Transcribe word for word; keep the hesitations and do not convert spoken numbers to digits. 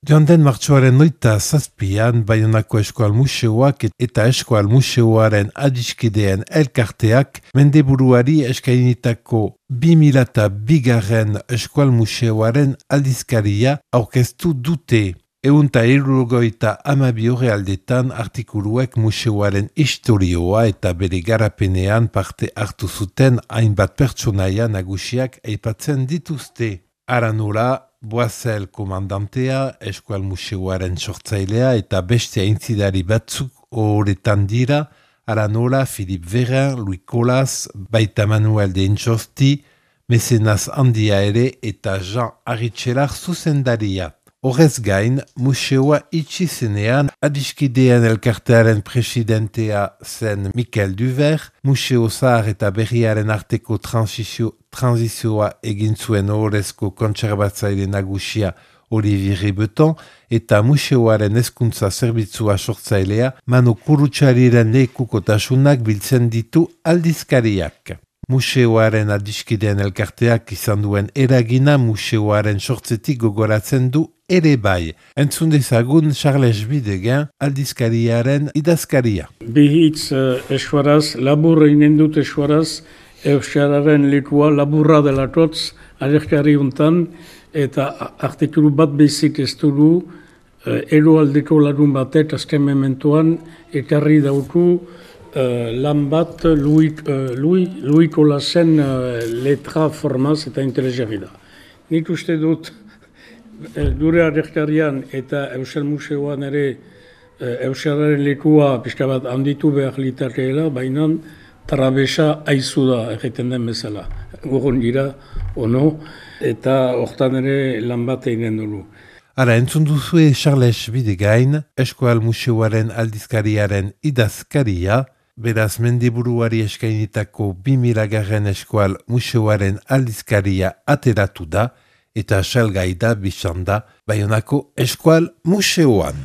Joan den martxoaren noita zazpian, Baionako Eskual Museoak eta Eskual Museoaren adiskideen elkarteak mendeburuari eskainitako bi mila bigarren Eskual Museoaren aldizkaria aurkeztu dute. Eunta hirurogeita hamabi orrialdetan artikuluek museoaren historioa eta bere garapenean parte hartu zuten hainbat pertsonaia nagusiak aipatzen dituzte. Ara nola, Boazel komandantea, Eskual Museoaren sortzailea eta beste aintzidari batzuk horretan dira, ara nola, Philippe Vérin, Louis Colas, baita Manuel de Intxosti, mezenaz handia ere eta Jean Aritxelar zuzendaria. Horrez gain, museoa itxi zenean adiskideen elkartearen presidentea zen Mikel Duver, museo zahar eta berriaren arteko transizio, transizioa egin zuen horrezko kontserbatzaile nagusia Olivier Ribeton eta museoaren hezkuntza zerbitzua sortzailea Manu Kurutxariren lekukotasunak biltzen ditu aldizkariak. Museoaren adiskideen elkarteak izan duen eragina museoaren sortzetik gogoratzen du ere bai. Entzun dezagun Charles Bidegen aldizkariaren idazkaria. Bi hitz uh, eskuaraz, labur egin dut eskuaraz, euskararen lekua laburra dela totz, alerkari untan, eta artikulu bat bezik ez dugu, uh, eroaldeko larun batek azken mementoan, ekarri dauku uh, lan bat Louis, uh, Louis, Louis Colasen uh, letra formaz eta interesgarri da. Nik uste dut, Dure alerkarian eta Euskal Museoan ere Euskararen lekua pixka bat handitu behar litakeela, baina trabesa aizu da egiten den bezala. Gogon dira, ono, eta hortan ere lan bat eginen dugu. Ara, entzun duzue Charles Bidegain, Eskual Museoaren aldizkariaren idazkaria, beraz mendiburuari eskainitako bi mila garren Eskual Museoaren aldizkaria ateratu da, eta salgai da bizan da Baionako Eskual Museoan.